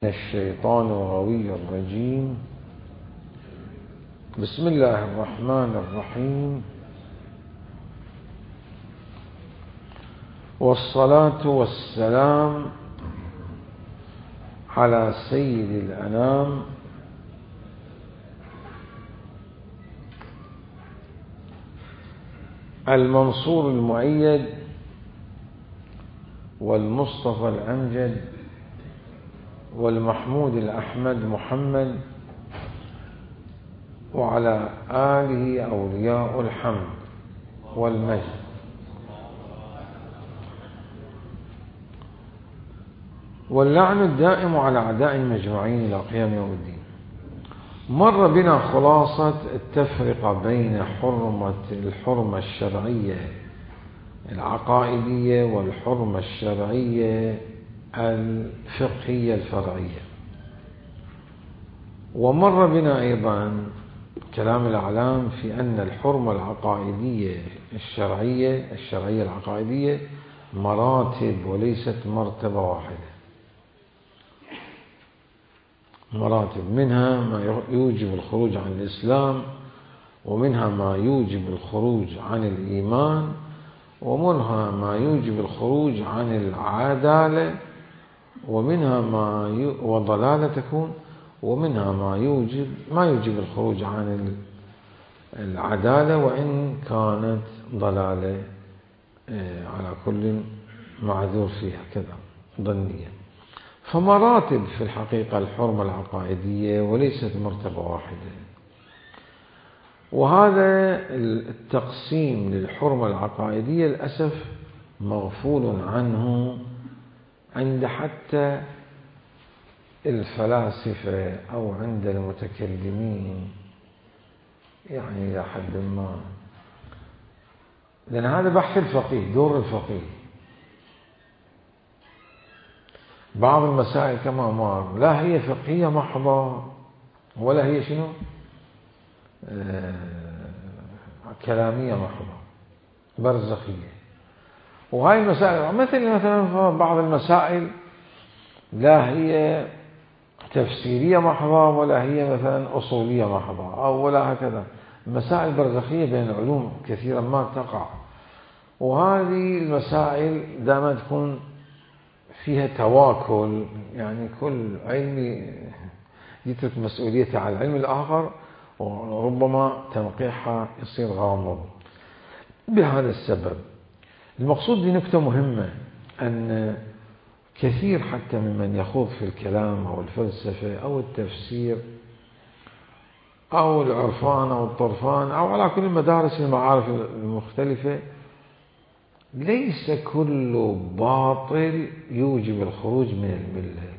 الشيطان الغوي الرجيم. بسم الله الرحمن الرحيم، والصلاة والسلام على سيد الأنام المنصور المؤيد والمصطفى الأمجد والمحمود الأحمد محمد، وعلى آله أولياء الحمد والمجد. واللعن الدائم على أعداء المجموعين إلى قيام يوم الدين. مر بنا خلاصة التفرقة بين الحرمة الشرعية العقائدية والحرمة الشرعية الفقهية الفرعية، ومر بنا أيضا كلام الأعلام في أن الحرمة العقائدية الشرعية العقائدية مراتب وليست مرتبة واحدة، مراتب، منها ما يوجب الخروج عن الإسلام، ومنها ما يوجب الخروج عن الإيمان، ومنها ما يوجب الخروج عن العدالة، ومنها وضلالة تكون، ومنها ما يوجب الخروج عن العدالة وإن كانت ضلالة على كل معذور فيها كذا ضنية. فمراتب في الحقيقة الحرمة العقائدية وليست مرتبة واحدة، وهذا التقسيم للحرمة العقائدية للأسف مغفول عنه عند حتى الفلاسفة أو عند المتكلمين، يعني إلى حد ما، لأن هذا بحث الفقيه، دور الفقيه. بعض المسائل كما مر لا هي فقهية محضة ولا هي شنو كلامية محضة، برزخية. وهاي المسائل مثلا بعض المسائل لا هي تفسيرية محضة ولا هي مثلا أصولية محضة أو ولا هكذا، مسائل برزخية بين العلوم كثيرا ما تقع. وهذه المسائل دائما تكون فيها تواكل، يعني كل علم يترك مسؤوليته على العلم الآخر، وربما تنقيحها يصير غامض. بهذا السبب المقصود بنكتة مهمة، أن كثير حتى ممن يخوض في الكلام أو الفلسفة أو التفسير أو العرفان أو الطرفان أو على كل مدارس المعارف المختلفة، ليس كل باطل يوجب الخروج من الملة،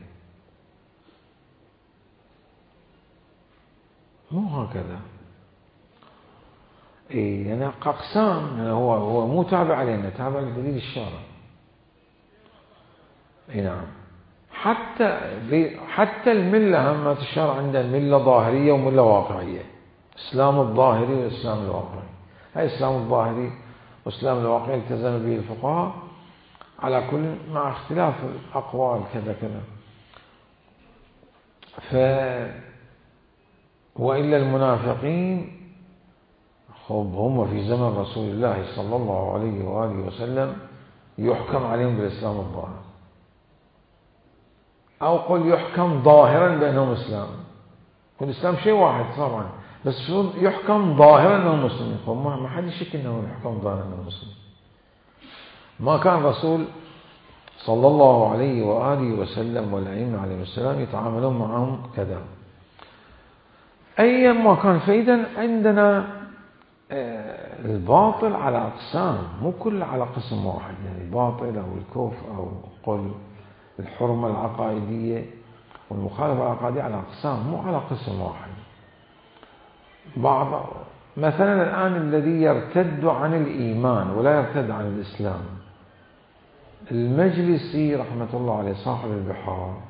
مو هكذا. يعني أقسام، هو مو تابع علينا، تابع لدليل الشارع. نعم، حتى الملة هم الشارع عندنا ملة ظاهرية وملة واقعية، إسلام الظاهري والإسلام الواقعي. هاي الإسلام الظاهري والإسلام الواقعي التزم به الفقهاء على كل مع اختلاف الأقوال كذا كذا. وإلا المنافقين هم في زمن رسول الله صلى الله عليه وآله وسلم يحكم عليهم بالإسلام الظاهر، أو قل يحكم ظاهرا بأنهم إسلام. والإسلام شيء واحد طبعا، بس يحكم ظاهرا أنهم مسلمين. ما حد يشك أنه يحكم ظاهرا أنهم مسلمين. ما كان الرسول صلى الله عليه وآله وسلم والأئمة عليه السلام يتعاملون معهم كذا أيما كان. فإذا عندنا الباطل على أقسام، مو كل على قسم واحد. يعني الباطل أو الكفر أو قل الحرمة العقائدية والمخالفة العقائدية على أقسام، مو على قسم واحد. مثلا الآن الذي يرتد عن الإيمان ولا يرتد عن الإسلام، المجلسي رحمة الله عليه صاحب البحار،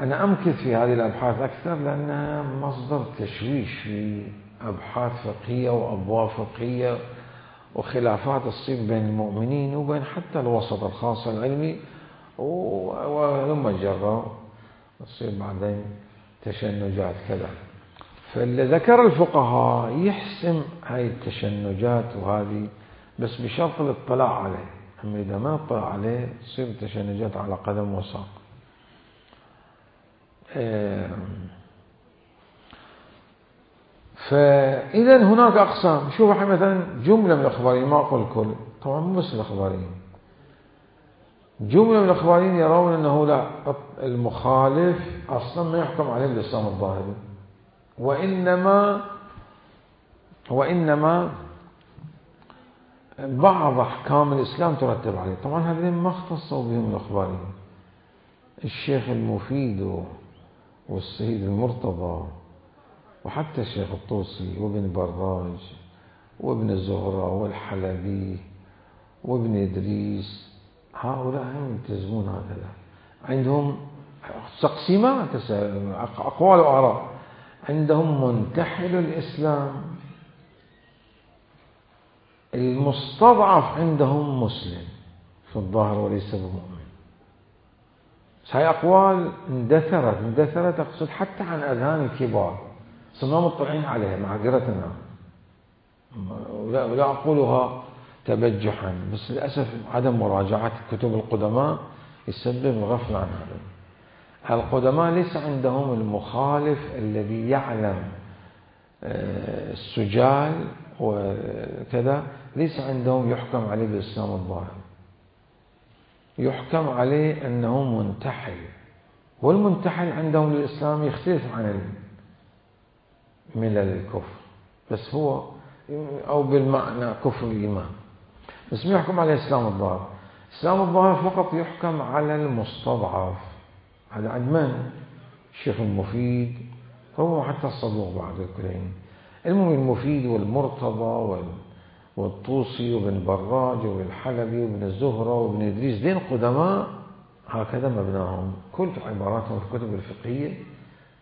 أنا أمكث في هذه الأبحاث أكثر لأنها مصدر تشويش في أبحاث فقهية وأبواب فقهية وخلافات تصير بين المؤمنين وبين حتى الوسط الخاص العلمي، ولما جرى تصير بعدين تشنجات كذا. فاللي ذكر الفقهاء يحسم هاي التشنجات وهذه، بس بشرط الاطلاع عليه. أما إذا ما اطلع عليه تصير التشنجات على قدم وساق. فإذا هناك أقسام. شوف الحين مثلا جملة من الأخباريين، ما أقول الكل طبعا، مو بس الأخباريين، جملة من الأخباريين يرون أنه لا، المخالف أصلا ما يحكم عليه بالإسلام الظاهري، وإنما بعض أحكام الإسلام ترتب عليه. طبعا هذين ما اختصوا بهم الأخباريين، الشيخ المفيد والسيد المرتضى وحتى الشيخ الطوسي وابن براج وابن الزهرة والحلبي وابن إدريس، هؤلاء هم يلتزمون هكذا، عندهم تقسيمات، أقوال وآراء. عندهم منتحل الإسلام، المستضعف عندهم مسلم في الظاهر وليس بمؤمن. هاي أقوال اندثرت أقصد حتى عن أذهان الكبار، صرنا مطلعين عليها معذرتنا، ولا أقولها تبجحا، بس للأسف عدم مراجعة كتب القدماء يسبب الغفلة عن هذا. القدماء ليس عندهم المخالف الذي يعلم السجال وكذا، ليس عندهم يحكم عليه بالإسلام الظاهر، يحكم عليه أنه منتحل، والمنتحل عندهم للإسلام يختلف عن ملل الكفر، بس هو أو بالمعنى كفر الإيمان، بس ما يحكم عليه الإسلام الظاهر. الإسلام الظاهر فقط يحكم على المستضعف. هذا عند من؟ الشيخ المفيد، هو حتى الصدوق بعد الكلين، المهم المفيد والمرتضى والطوسي وابن براج والحلبي وابن الزهرة وابن إدريس، دين قدماء هكذا مبناهم، كل عباراتهم في الكتب الفقهية،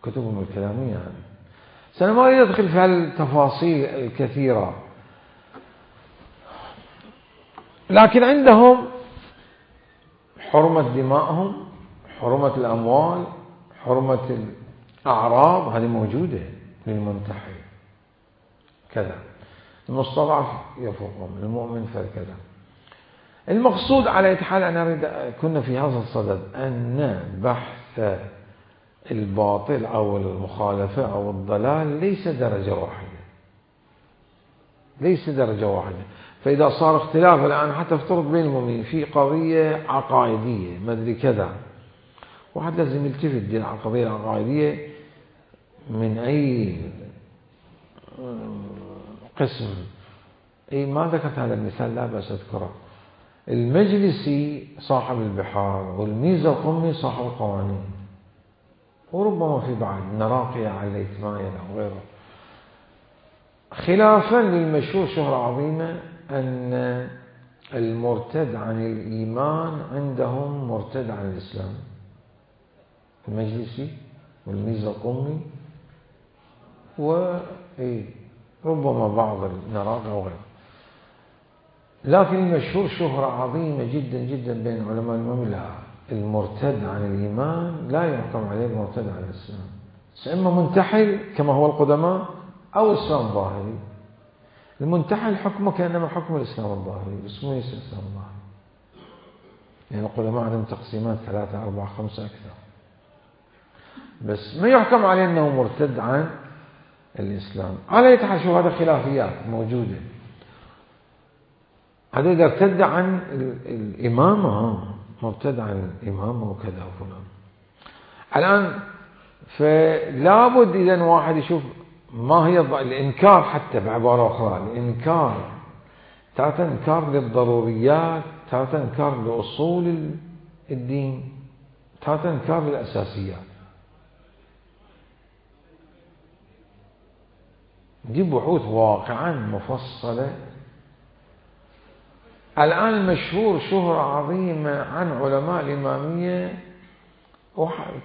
كتبهم الكلامية يعني. سأنا ما أريد أدخل في هالتفاصيل الكثيرة، لكن عندهم حرمة دمائهم، حرمة الأموال، حرمة الأعراض، هذه موجودة للمنتحل كذا. المستضعف يفوقهم، المؤمن فكذا. المقصود على أي حال أنا أريد كنا في هذا الصدد أن بحث الباطل أو المخالفة أو الضلال ليس درجة واحدة، ليس درجة واحدة. فإذا صار اختلاف الآن حتى افترض بين المؤمنين في قضية عقائدية ما أدري كذا، واحد لازم يلتفت دي القضية العقائدية من أي قسم. أي ما ذكرت هذا المثال، لا بأس أذكره. المجلسي صاحب البحار، والميزة القمي صاحب القوانين، وربما في بعض نراقية على الإثماية أو غيره. خلافا للمشهور شهرة عظيمة أن المرتد عن الإيمان عندهم مرتد عن الإسلام، المجلسي والميزة القمي وربما بعض النراقة وغيره. لكن المشهور شهرة عظيمة جدا جدا بين علماء المملكة، المرتد عن الإيمان لا يحكم عليه المرتد عن الإسلام، إما منتحل كما هو القدماء أو إسلام ظاهري. المنتحل حكمه كأنما حكم الإسلام الظاهري، بس مو يصير الإسلام الظاهري، يعني القدماء عندهم تقسيمات 3 4 5 أكثر، بس ما يحكم عليه أنه مرتد عن الإسلام. على يتحال شو هذا خلافيات موجودة. هذا إذا ارتد عن الإمامة، مرتد عن الإمامة وكذا وفلان. الآن فلابد إذا واحد يشوف ما هي الإنكار، حتى بعبارة أخرى الإنكار تارة إنكار للضروريات، تارة إنكار لأصول الدين، تارة إنكار للأساسيات. دي بحوث واقعا مفصلة. الآن المشهور شهرة عظيمة عن علماء الإمامية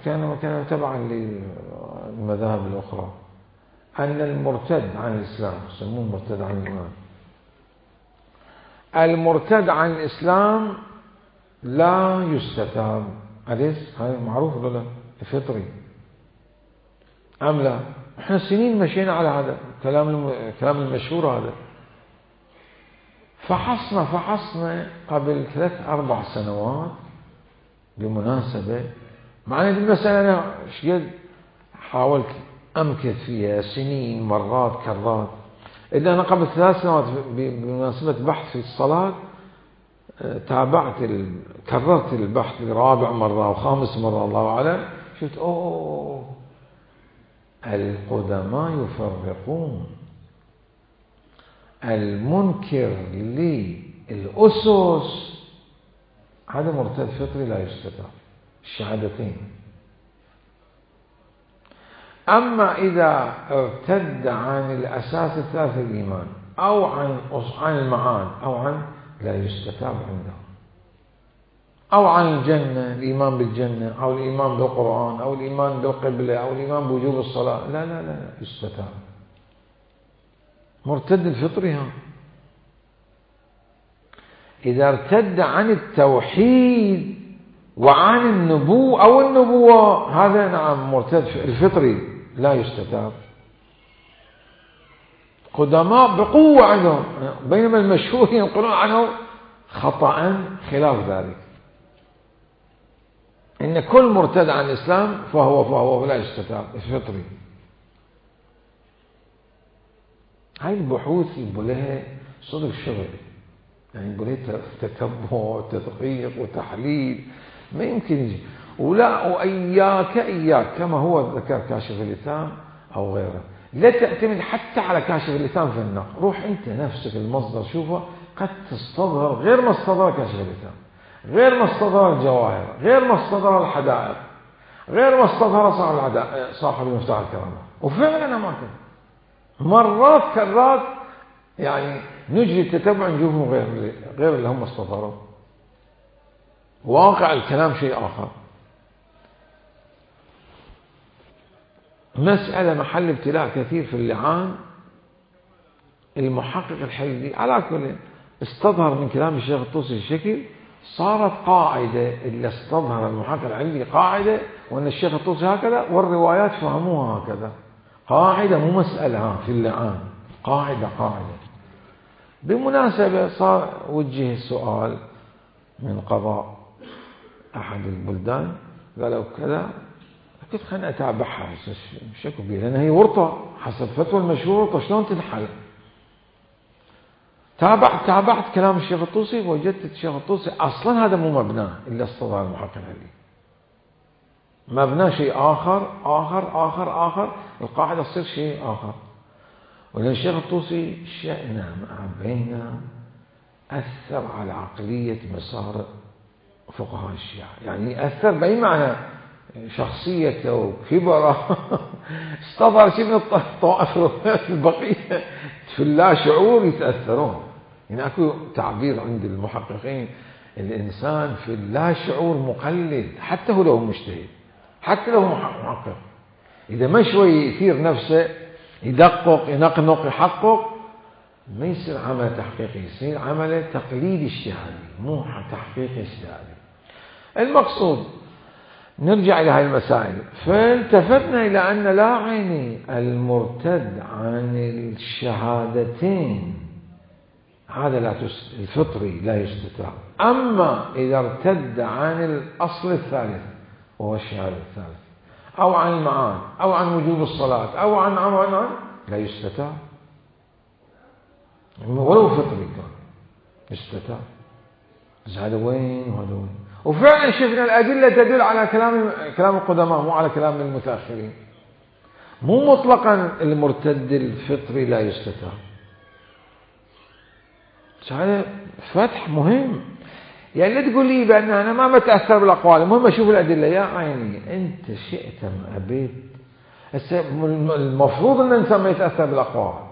كان تبعا للمذاهب الأخرى، أن المرتد عن الإسلام يسموه مرتد عن الإيمان، المرتد عن الإسلام لا يستتاب. أليس هاي معروف ولا لا؟ الفطري أم لا؟ احنا سنين مشينا على هذا كلام المشهور هذا. فحصنا قبل 3-4 سنوات بمناسبة، مع أن المسألة أنا شقد حاولت أمكث فيها سنين مرات كرات، إلا أنا قبل 3 سنوات بمناسبة بحث في الصلاة كررت البحث لرابع مرة وخامس مرة الله أعلم، شفت القدماء يفرقون المنكر للأسس هذا مرتد فطري لا يستتاب، الشهادتين. أما إذا ارتد عن الأساس الثالث الإيمان أو عن المعاد أو عن لا يستتاب عنده، أو عن الجنة، الإيمان بالجنة أو الإيمان بالقرآن أو الإيمان بالقبلة أو الإيمان بوجوب الصلاة، لا يستتاب. مرتد الفطري ها. إذا ارتد عن التوحيد وعن النبوة أو النبوة هذا نعم مرتد الفطري لا يستتاب. قدماء بقوة عنهم، بينما المشهور ينقلون عنه خطأ خلاف ذلك، إن كل مرتد عن الإسلام فهو لا يستتاب الفطري. هاي البحوث يبقى لها صدر شغل، يعني يبقى لها تتبع وتدقيق وتحليل، ما يمكن يجي وإياك كما هو ذكر كاشف اللسان أو غيره، لا تعتمد حتى على كاشف اللسان في النقل. روح أنت نفسك المصدر شوفه، قد تستظهر غير ما استظهر كاشف اللسان، غير ما استظهر الجواهر، غير ما استظهر الحدائق، غير ما استظهر صاحب المفتاح الكرامة. وفعلا ما كان مرات كرات يعني نجري التتبع نشوفهم غير اللي هم استظهروا. واقع الكلام شيء آخر. مسألة محل ابتلاء كثير في اللعان. المحقق الحلبي على كل استظهر من كلام الشيخ الطوسي الشكل، صارت قاعدة اللي استظهر المحقق الحلبي قاعدة، وأن الشيخ الطوسي هكذا والروايات فهموها هكذا، قاعدة مو مسألة في اللعان، قاعدة. بمناسبة صار وجه السؤال من قضاء أحد البلدان، قالوا كذا، قلت خليني أتابعها شكو بيه، لأن هي ورطة حسب فتوى المشهور، ورطة شلون تنحل. تابعت كلام الشيخ الطوسي، وجدت الشيخ الطوسي أصلا هذا مو مبناه إلا استظهار المحقق العلي، مبناه شيء آخر، القاعدة تصير شيء آخر. ولأن الشيخ الطوسي شأنه مع بيننا أثر على عقلية مسار فقهاء الشيعة، يعني أثر بأي معنى، شخصيته وكبره استظهر شيء من الطوائف البقية في اللا شعور يتأثرون. يعني أكو تعبير عند المحققين، الإنسان في اللا شعور مقلد، حتى هو لو مجتهد، حتى لو محقق، إذا ما شوي يثير نفسه يدقق ينقنق يحقق، ما يصير عمل تحقيقي، يصير عمل تقليد اجتهادي مو تحقيق اجتهادي. المقصود نرجع إلى هذه المسائل. فالتفتنا إلى أن لا عيني المرتد عن الشهادتين هذا الفطري لا يستتاب. أما إذا ارتد عن الأصل الثالث وهو الشهادة الثالث، أو عن المعاد أو عن وجوب الصلاة أو عن لا يستتاب، ولو فطري كان يستتاب. هذا وين وهذا وين. وفعلا شفنا الأدلة تدل على كلام القدماء مو على كلام المتأخرين. مو مطلقا المرتد الفطري لا يستتاب. هذا فتح مهم. يعني لا تقول لي بأن أنا ما بتأثر بالأقوال، المهم أشوف الأدلة. يا عيني أنت شئت أم أبيت، المفروض أن الإنسان ما يتأثر بالأقوال،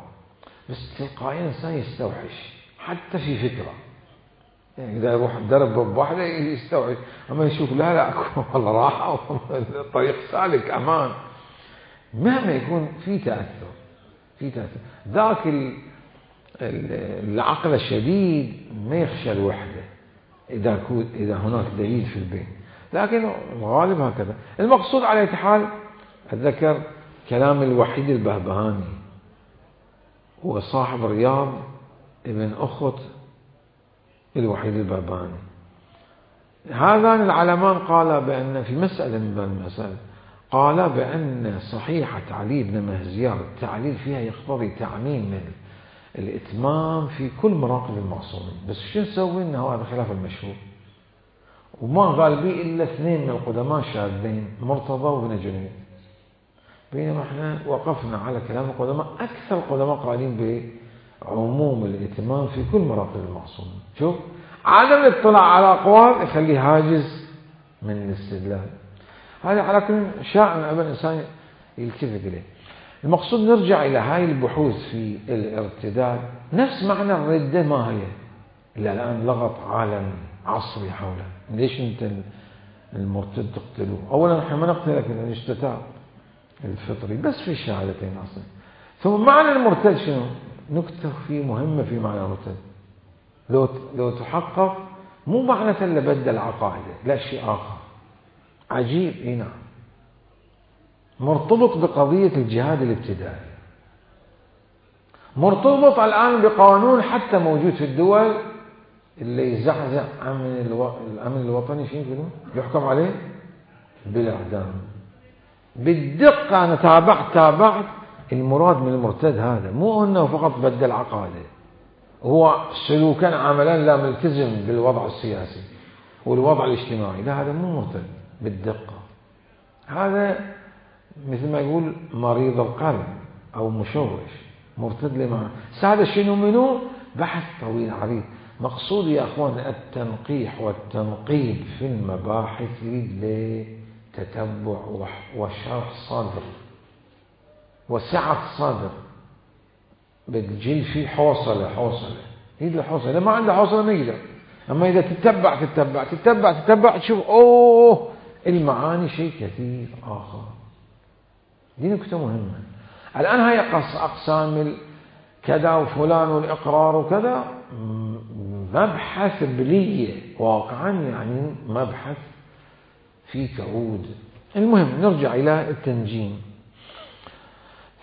بس تلقائيا الإنسان يستوحش حتى في فكرة. يعني إذا يروح الدرب بواحدة يستوعب، أما يشوف لا والله راحة طريق سالك أمان، مهما يكون في تأثر ذاك العقل الشديد ما يخشى الوحدة إذا هناك دليل في البين، لكن الغالب هكذا. المقصود على أي حال أتذكر كلام الوحيد البهبهاني، هو صاحب رياض ابن أخت الوحيد البهبهاني. هذان العلمان قال بأن في مسألة من المسائل قال بأن صحيحة علي بن مهزيار التعليل فيها يقتضي تعميم الإتمام في كل مراقب المعصومين، بس شو نسوي؟ إنه هذا خلاف المشهور، وما قال به إلا اثنين من القدماء الشاذين، مرتضى وابن جنيد، بينما احنا وقفنا على كلام القدماء. أكثر القدماء قائلين بعموم الإتمام في كل مراقب المعصومين. شوف، عدم الاطلاع على أقوال يخليه هاجز من الاستدلال. هذا على كل شاء أن الإنسان يلتفت إليه. المقصود نرجع إلى هاي البحوث في الارتداد. نفس معنى الردة ما هي إلا الآن لغط عالمي عصري حوله. ليش أنت المرتد تقتلوه؟ أولا نحن ما نقتلك من الاجتتاب الفطري بس في الشهادتين أصلا. ثم معنى المرتد شنو؟ نكتة فيه مهمة في معنى المرتد. لو تحقق مو معنى اللي بدل عقائده، لا شيء آخر عجيب. إيه نعم، مرتبط بقضية الجهاد الابتدائي، مرتبط الآن بقانون حتى موجود في الدول اللي يزعزع الأمن الوطني، شيء يقولون يحكم عليه بالإعدام. بالدقة أنا تابعت المراد من المرتد هذا مو أنه فقط بدل عقائده، هو سلوكا عملا لا ملتزم بالوضع السياسي والوضع الاجتماعي، لا هذا مو مرتد بالدقة. هذا مثل ما يقول مريض القلب أو مشوش، مرتد لما هذا شنو منه بحث طويل عريض. مقصود يا أخوان التنقيح والتنقيب في المباحث لتتبع وشرح صدر وسعة صدر، بتجي في حوصلة يد الحوصلة، ما عنده حوصلة ما يقدر. أما إذا تتبع تشوف أوه المعاني شيء كثير آخر. دي نكتة مهمة. الآن هاي أقسام كذا وفلان والإقرار وكذا مبحث بلية واقعا، يعني مبحث في كعود. المهم نرجع إلى التنجيم.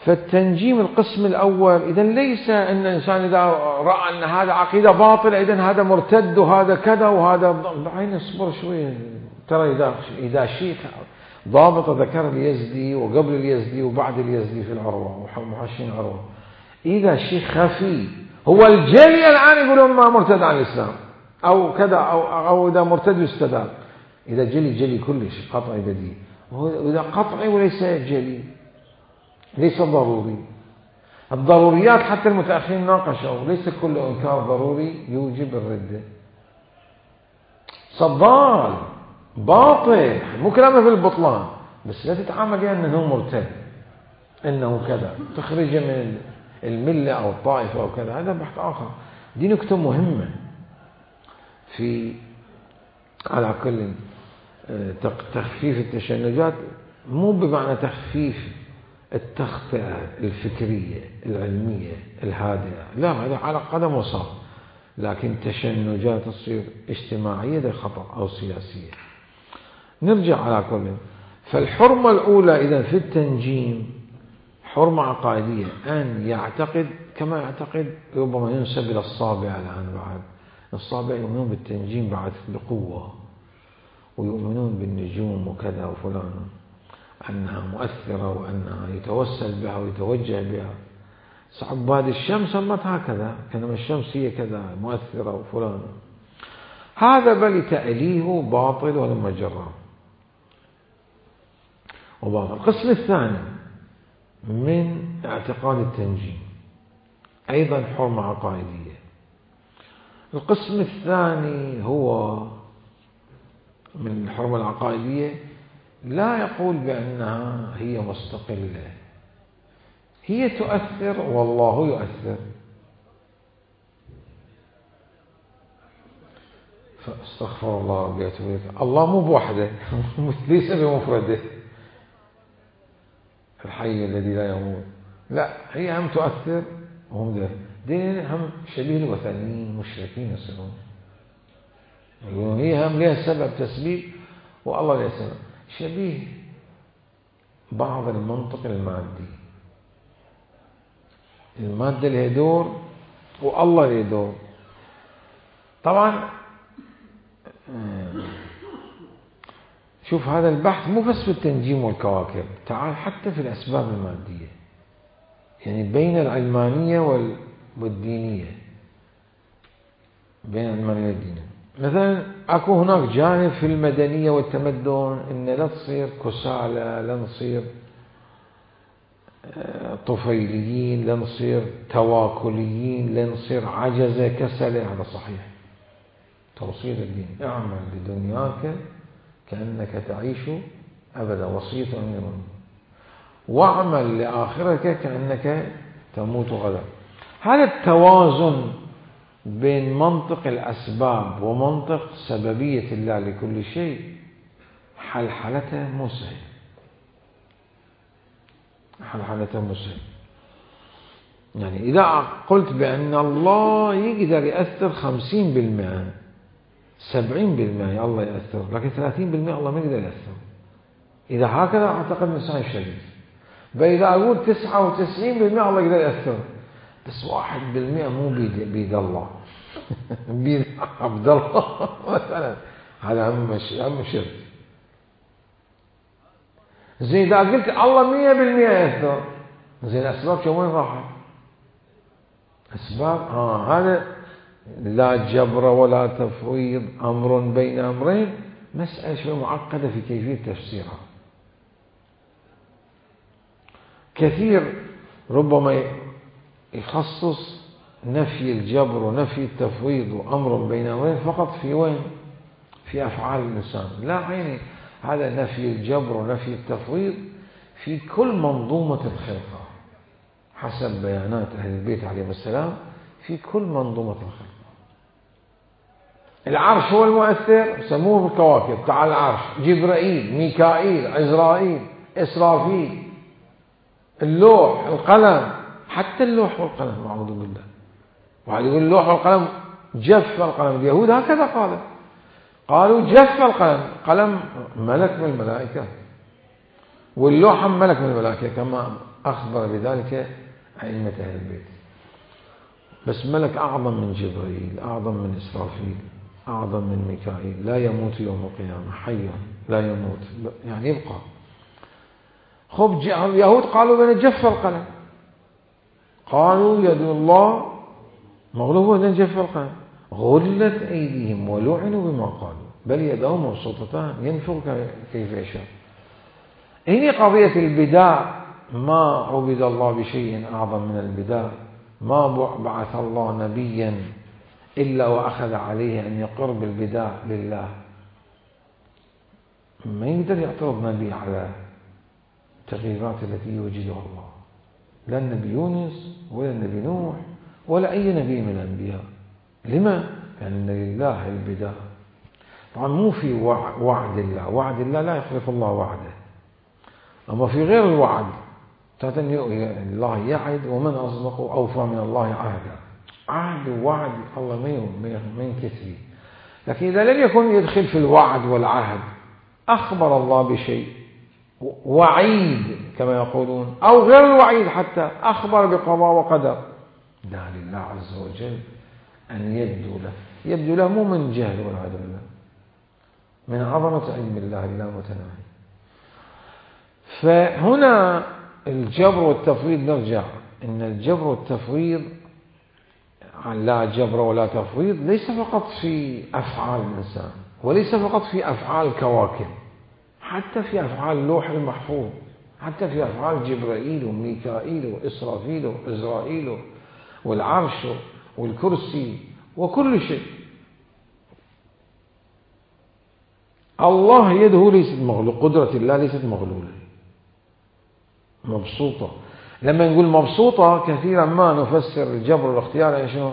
فالتنجيم القسم الأول إذن ليس أن الإنسان إذا رأى أن هذا عقيدة باطلة إذن هذا مرتد وهذا كذا وهذا بعين اصبر شوية. ترى إذا شيء ضابط ذكر اليزدي وقبل اليزدي وبعد اليزدي في العروة ومحشين عروة، إذا شيء خفي هو الجلي الآن يقولون ما مرتد عن الإسلام أو كذا أو إذا مرتد يستدام، إذا جلي كلش قطعي بديهي، وإذا قطعي وليس جلي ليس ضروري. الضروريات حتى المتأخرين ناقشوا، ليس كل إنكار ضروري يوجب الردة. صدال باطل مو كلامه في البطلان، بس لا تتعامل يعني أنه مرتد أنه كذا تخرجه من الملة أو الطائفة أو كذا، هذا بحث آخر. دي نكتة مهمة في على كل تخفيف التشنجات، مو بمعنى تخفيف التخطئة الفكرية العلمية الهادئة، لا هذا على قدم وساق، لكن تشنجات تصير اجتماعية ده خطأ أو سياسية. نرجع على كل. فالحرمة الأولى إذا في التنجيم حرمة عقائدية، أن يعتقد كما يعتقد ربما ينسب إلى الصابع الآن. بعد الصابع يؤمنون بالتنجيم بعد بقوة، ويؤمنون بالنجوم وكذا وفلان أنها مؤثرة وأنها يتوسل بها ويتوجه بها. عباد الشمس صمت هكذا، كانما الشمس هي كذا مؤثرة وفلان. هذا بل تأليه باطل ولما جرى وباطل. القسم الثاني من اعتقاد التنجيم أيضا حرمة عقائدية. القسم الثاني هو من الحرمة العقائدية لا يقول بأنها هي مستقلة، هي تؤثر والله يؤثر. فاستغفر الله ربي، الله مو بوحده ليس بمفرده الحي الذي لا يموت، لا هي هم تؤثر وهم ده. دين هم شبيه الوثنيين مشركين يصيرون، يقولون هي هم لها سبب تسبيب والله لها سبب، شبيه بعض المنطق المادي، المادة لها دور والله له دور. طبعا شوف هذا البحث مو بس في التنجيم والكواكب، تعال حتى في الأسباب المادية، يعني بين العلمانية والدينية، بين العلمانية والدينية. مثلا أكو هناك جانب في المدنية والتمدن إن لا تصير كسالى، لا نصير طفيليين، لا نصير تواكليين، لا نصير عجزة كسلة. هذا صحيح، توصية الدين اعمل لدنياك كأنك تعيش أبدا، وصية أمير، واعمل لآخرتك كأنك تموت غدا. هذا التوازن بين منطق الأسباب ومنطق سببية الله لكل شيء حلحلته مو سهل، حلحلته مو سهل. يعني إذا قلت بأن الله يقدر يأثر 50%، 70% الله يأثر، لكن 30% الله ما يقدر يأثر، إذا هكذا أعتقد إنسان شريف. فإذا أقول 99% الله يقدر يأثر، بس 1% مو بيد الله بيد عبد الله مثلا، هذا هم شرك. زين إذا قلت الله 100% يأثر، زين الأسباب شو وين راحت؟ أسباب هذا لا جبر ولا تفويض، أمر بين أمرين، مسألة شوي معقدة في كيفية تفسيرها. كثير ربما يخصص نفي الجبر ونفي التفويض وأمر بين أمرين فقط في وين؟ في أفعال الإنسان. لا عيني، هذا نفي الجبر ونفي التفويض في كل منظومة الخلقة حسب بيانات أهل البيت عليهم السلام، في كل منظومة الخلقة. العرش هو المؤثر، سموه بالكواكب، تعال العرش، جبرائيل، ميكائيل، عزرائيل، إسرافيل، اللوح، القلم، حتى اللوح والقلم أعوذ بالله. وعلى يقول اللوح والقلم جف القلم، اليهود هكذا قالوا جف القلم، قلم ملك من الملائكة، واللوح ملك من الملائكة كما أخبر بذلك أئمة أهل البيت. بس ملك أعظم من جبريل، أعظم من إسرافيل، أعظم من ميكائيل، لا يموت يوم القيامة، حي لا يموت، يعني يبقى. خب اليهود قالوا بأن جف القلم، قالوا يد الله مغلوبة بأن جف القلم، غلت أيديهم ولعنوا بما قالوا، بل يداه مبسوطتان ينفق كيف يشاء. هنا قضية البداء، ما عبد الله بشيء أعظم من البداء، ما بعث الله نبيا إلا وأخذ عليه أن يقر بالبداء لله. ما يقدر يعترض نبي على التغييرات التي يوجدها الله، لا النبي يونس ولا النبي نوح ولا أي نبي من الأنبياء. لما؟ لأن لله البداء. طبعا مو في وعد الله، وعد الله لا يخلف الله وعده، أما في غير الوعد الله يعد، ومن أصدق أوفى من الله عهدا. عهد ووعد الله ما ينكسر. لكن إذا لم يكن يدخل في الوعد والعهد، أخبر الله بشيء وعيد كما يقولون، أو غير الوعيد حتى أخبر بقضاء وقدر، لا لله عز وجل أن يبدو له مو من جهل والعياذ بالله، من عظمة علم الله لا متناهي. فهنا الجبر والتفويض، نرجع إن الجبر والتفويض لا جبر ولا تفويض ليس فقط في أفعال الإنسان، وليس فقط في أفعال الكواكب، حتى في أفعال اللوح المحفوظ، حتى في أفعال جبرائيل وميكائيل وإسرافيل وإزرائيل والعرش والكرسي وكل شيء. الله يده ليست مغلولة، قدرة الله ليست مغلولة، مبسوطة. لما نقول مبسوطة كثيرا ما نفسر الجبر والاختيار يعني شنو؟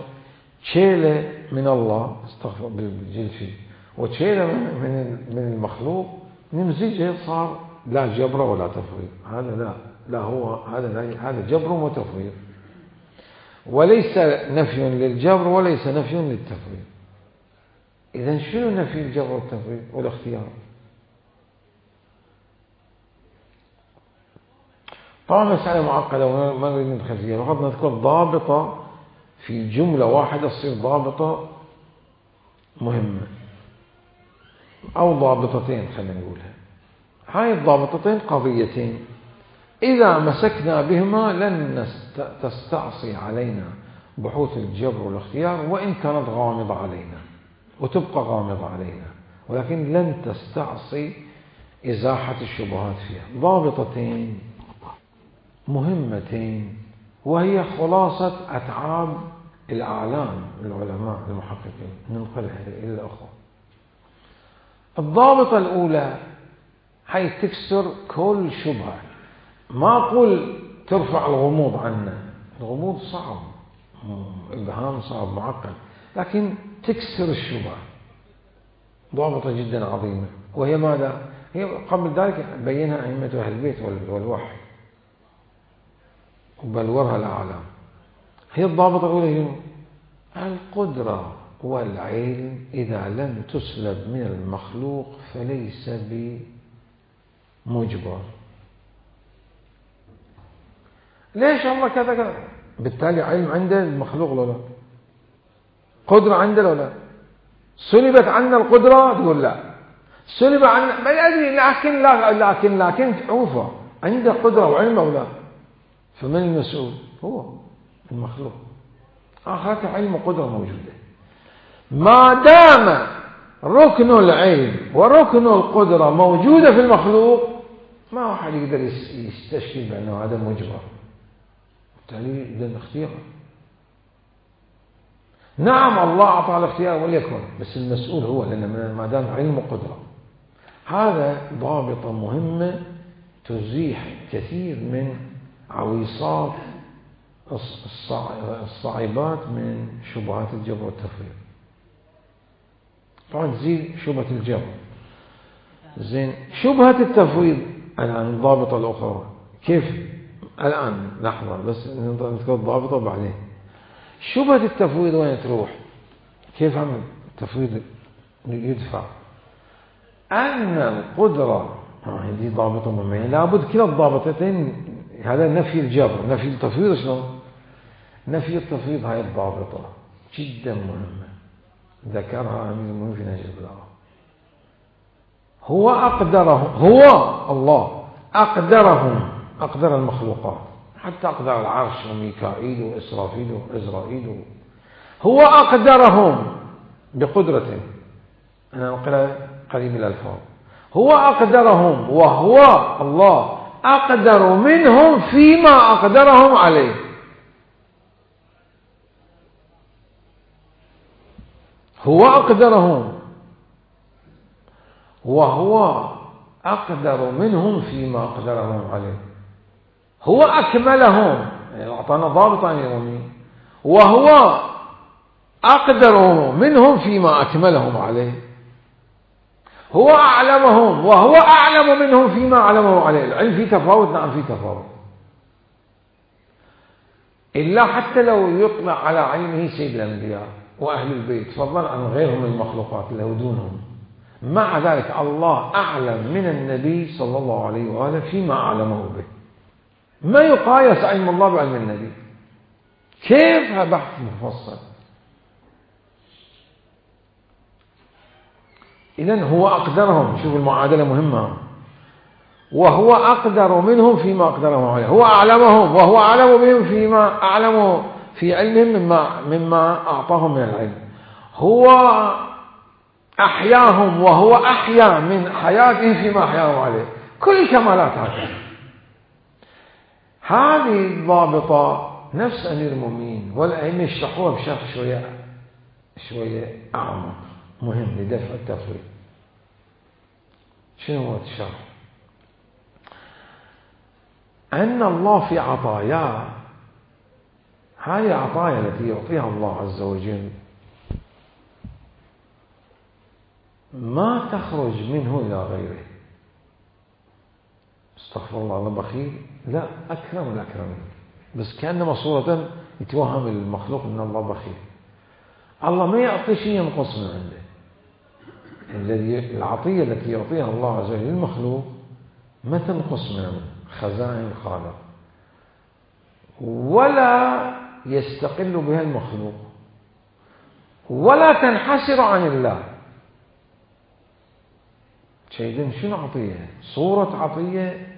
تشيلة من الله، استغفر بالجلفي، وتشيلة من المخلوق، نمزجها صار لا جبر ولا تفويض. هذا لا هو هذا جبر وتفويض. وليس نفي للجبر وليس نفي للتفويض. إذن شنو نفي الجبر والتفويض والاختيار؟ طبعا مسألة معقدة وما نريد ندخل فيها، فقط نذكر ضابطة في جملة واحدة تصير ضابطة مهمة، أو ضابطتين خلينا نقولها. هاي الضابطتين قضيتين إذا مسكنا بهما لن تستعصي علينا بحوث الجبر والاختيار، وإن كانت غامضة علينا وتبقى غامضة علينا، ولكن لن تستعصي إزاحة الشبهات فيها. ضابطتين مهمتين، وهي خلاصة أتعاب الأعلام العلماء المحققين، ننقلها إلى الأخوة. الضابطة الأولى هي تكسر كل شبهة. ما أقول ترفع الغموض عنا، الغموض صعب، إبهام صعب معقد، لكن تكسر الشبهة. ضابطة جدا عظيمة، وهي ماذا؟ هي قبل ذلك بينها أئمة أهل البيت والوحي وبلورها الأعلام. هي الضابطة الأولى هي القدرة والعلم إذا لم تسلب من المخلوق فليس بمجبر. ليش الله كذا كذا؟ بالتالي علم عنده المخلوق ولا لا؟ قدرة عنده ولا لا؟ سلبت عنا القدرة تقول لا، سلب عنا ما أدري، لكن عوفة عنده قدرة وعلم ولا لا؟ فمن المسؤول؟ هو المخلوق. آخرته علم وقدرة موجودة. ما دام ركن العلم وركن القدرة موجودة في المخلوق، ما واحد يقدر يستشكل بأنه هذا مجبر، بالتالي بدون اختيار. نعم الله أعطى الاختيار وليكن، بس المسؤول هو، لأن ما دام علم وقدرة. هذا ضابطة مهمة تزيح كثير من عويصات الصعيبات من شبهات الجبر والتفويض. طبعا تزيد شبهة الجبر. زين، شبهة التفويض الآن الضابطة الأخرى كيف؟ الآن لحظة بس نذكر الضابطة بعدين. شبهة التفويض وين تروح؟ كيف عمل التفويض يدفع؟ أن القدرة هذه ضابطة مهمة، لابد كلا الضابطتين. هذا نفي الجبر، نفي التفويض. شلون؟ نفي التفويض هاي الضابطة جدا مهمة، ذكرها أمير المؤمنين في نهج البلاغة. هو أقدرهم، هو الله أقدر المخلوقات، حتى أقدر العرش وميكائيل وإسرافيل وإزرائيل. هو أقدرهم بقدرته. أنا أقرأ قريب الألفاظ. هو أقدرهم، وهو الله أقدر منهم فيما أقدرهم عليه. هو أقدرهم وهو أقدر منهم فيما أقدرهم عليه. هو أكملهم، يعني أعطانا ضابطا يومي، وهو أقدر منهم فيما أكملهم عليه. هو أعلمهم وهو أعلم منهم فيما أعلمهم عليه. العلم في تفاوت، نعم في تفاوت، إلا حتى لو يطلع على علمه سيد الأنبياء وأهل البيت فضلا عن غيرهم من المخلوقات اللي دونهم، مع ذلك الله أعلم من النبي صلى الله عليه وآله فيما أعلمه به. ما يقايس علم الله بعلم النبي، كيف بحث مفصل. إذن هو أقدرهم، شوف المعادلة مهمة، وهو أقدر منهم فيما أقدرهم عليه. هو أعلمهم وهو أعلم بهم فيما أعلموا في علمهم مما أعطاهم من العلم. هو أحياهم وهو أحيا من حياتهم فيما أحياهم عليه. كل كمالات هذه الضابطة نفس أمير المؤمنين والأئمة يشرحوها بشرح شوية أعمق مهم لدفع التفويض. شنو هو الشرح؟ أن الله في عطاياه، هذه عطايا التي يعطيها الله عز وجل ما تخرج منه إلى غيره. استغفر الله، الله بخيل؟ لا، أكرم الأكرمين، بس كأنما صورة يتوهم المخلوق أن الله بخيل. الله ما يعطي شيء ينقص من عنده. العطية التي يعطيها الله عز وجل للمخلوق ما تنقص من خزائن الخالق، ولا يستقل بها المخلوق، ولا تنحسر عن الله. شيء شنو عطية؟ صورة عطية.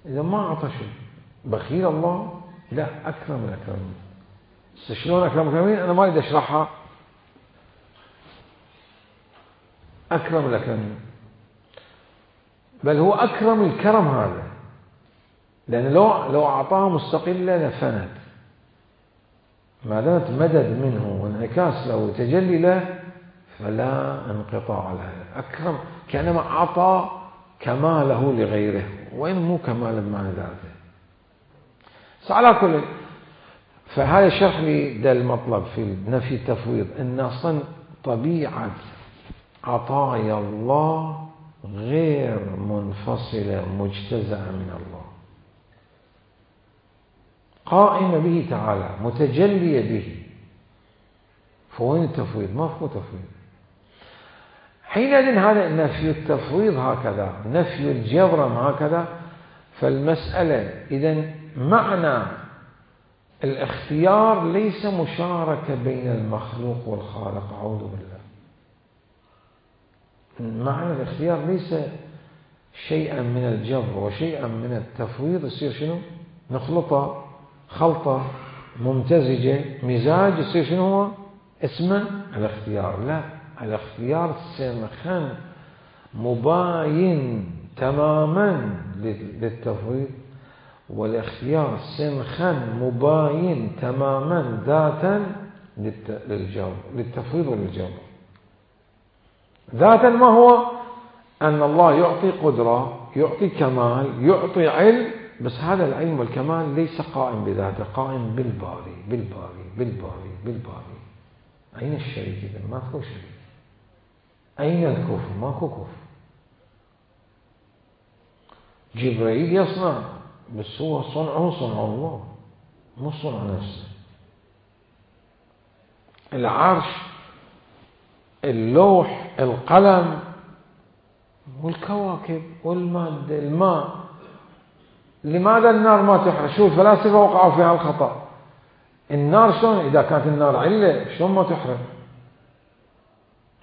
إذا ما أعطى شيء بخيل الله؟ لا، أكرم الأكرمين. شلون أكرم الأكرمين؟ أنا ما أريد أشرحها. أكرم الأكرمين، بل هو أكرم الكرم هذا، لأن لو أعطاها مستقلة لفنت، ما دامت مدد منه وانعكاس له وتجلي له فلا انقطاع لها. أكرم كأنما أعطى كماله لغيره، وإن مو كمالا مع ذاته. على كل، فهذا شرح لي ده المطلب في نفي التفويض، أن أصلا طبيعة عطايا الله غير منفصلة مجتزأة من الله، قائمة به تعالى، متجلية به. فوين التفويض؟ ما فيه تفويض. حينئذ هذا نفي التفويض هكذا، نفي الجبر هكذا. فالمسألة إذن معنى الاختيار ليس مشاركة بين المخلوق والخالق، أعوذ بالله. معنى الاختيار ليس شيئا من الجبر وشيئا من التفويض. يصير شنو؟ نخلطه خلطة ممتزجة، مزاج، يصير شنو هو؟ اسمه الاختيار. لا، الاختيار سمخا مباين تماما للتفويض، والاختيار سمخا مباين تماما ذاتا للتفويض وللجبر. ذاتا ما هو؟ أن الله يعطي قدرة، يعطي كمال، يعطي علم، بس هذا العلم والكمال ليس قائم بذاته، قائم بالباري بالباري بالباري بالباري. أين الشريك إذن؟ ماكو شريك. أين الكفر؟ ماكو كفر. جبريل يصنع، بس هو صنعه صنع الله، مو صنع نفسه. العرش، اللوح، القلم، والكواكب والمادة، الماء. لماذا النار ما تحرق؟ شوف الفلاسفة وقعوا في هالخطأ. النار شلون إذا كانت النار علة شلون ما تحرق؟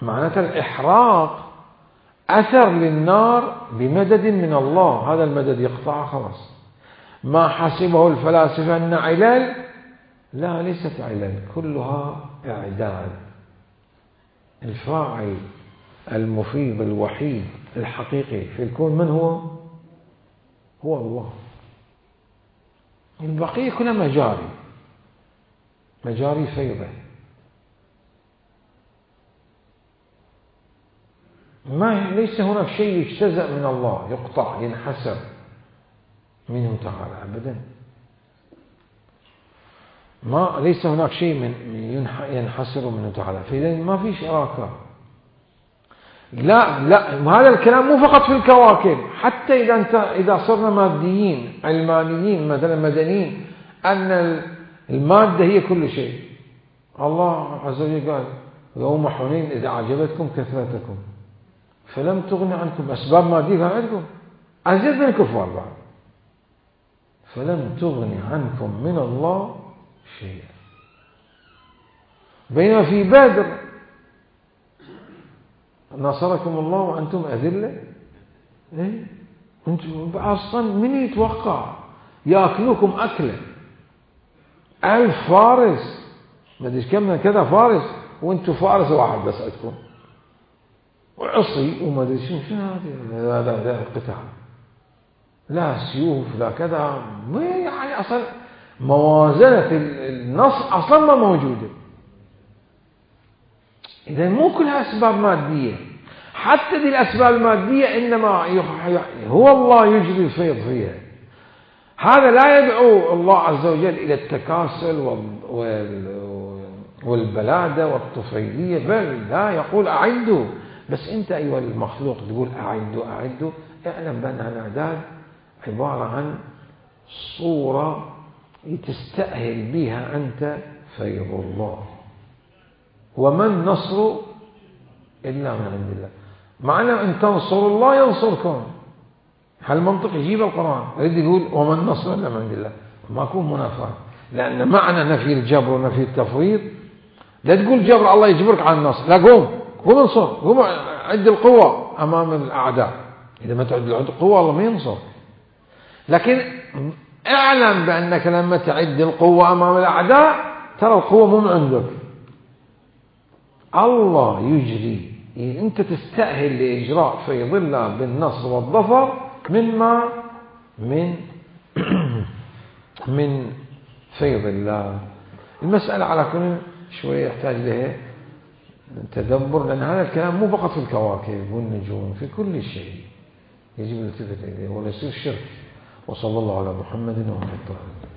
معناته الإحراق أثر للنار بمدد من الله، هذا المدد يقطع خلاص. ما حسبه الفلاسفة أن علل، لا، ليست علل، كلها إعداد. الفاعل المفيد الوحيد الحقيقي في الكون من هو؟ هو الله. البقية كلها مجاري، مجاري فيضة. ليس هناك شيء يجتزأ من الله، يقطع، ينحسر منه تعالى أبدا. ليس هناك شيء ينحسر منه تعالى، فإذا ما في شراكة. لا، هذا الكلام مو فقط في الكواكب، حتى إذا صرنا ماديين علمانيين مثلا مدنيين، أن المادة هي كل شيء. الله عز وجل قال يوم حنين إذا أعجبتكم كثرتكم فلم تغن عنكم، أسباب مادية عندكم أزيد من الكفار بعد، فلم تغن عنكم من الله شيئا. بينما في بدر نصركم الله وأنتم أذلة. أنتم أصلا من يتوقع يأكلوكم أكلة 1000 فارس، ما أدري كم من كذا فارس، وأنتم فارس واحد بس عندكم، وعصي وما أدري شنو هذا القتال، لا سيوف لا كذا، يعني أصلا موازنة النص أصلا ما موجودة. إذا مو كلها أسباب مادية، حتى دي الأسباب المادية إنما هو الله يجري الفيض فيها. هذا لا يدعو الله عز وجل إلى التكاسل والبلادة والطفيلية، بل لا، يقول أعدوا. بس أنت أيها المخلوق تقول أعدوا، اعلم بأن الإعداد عبارة عن صورة تستأهل بها أنت فيض الله. وما النصر إلا من عند الله. معنى أن تنصروا الله ينصركم. هالمنطق يجيب القرآن يريد يقول وما النصر إلا من عند الله، ما يكون منافاة. لأن معنى نفي الجبر ونفي التفويض لا تقول جبر الله يجبرك على النصر، لا قوم انصر، قوم عد القوة أمام الأعداء. إذا ما تعد القوة الله ما ينصر. لكن اعلم بأنك لما تعد القوة أمام الأعداء ترى القوة مو من عندك، الله يجري. أنت تستأهل لإجراء فيض الله بالنصر والظفر مما من فيض الله. المسألة على كل شوية يحتاج لها تدبر، لأن هذا الكلام مو فقط في الكواكب والنجوم، في كل شيء يجب الالتفات إليه ولا يصير شرك. وصلى الله على محمد وعلى آله.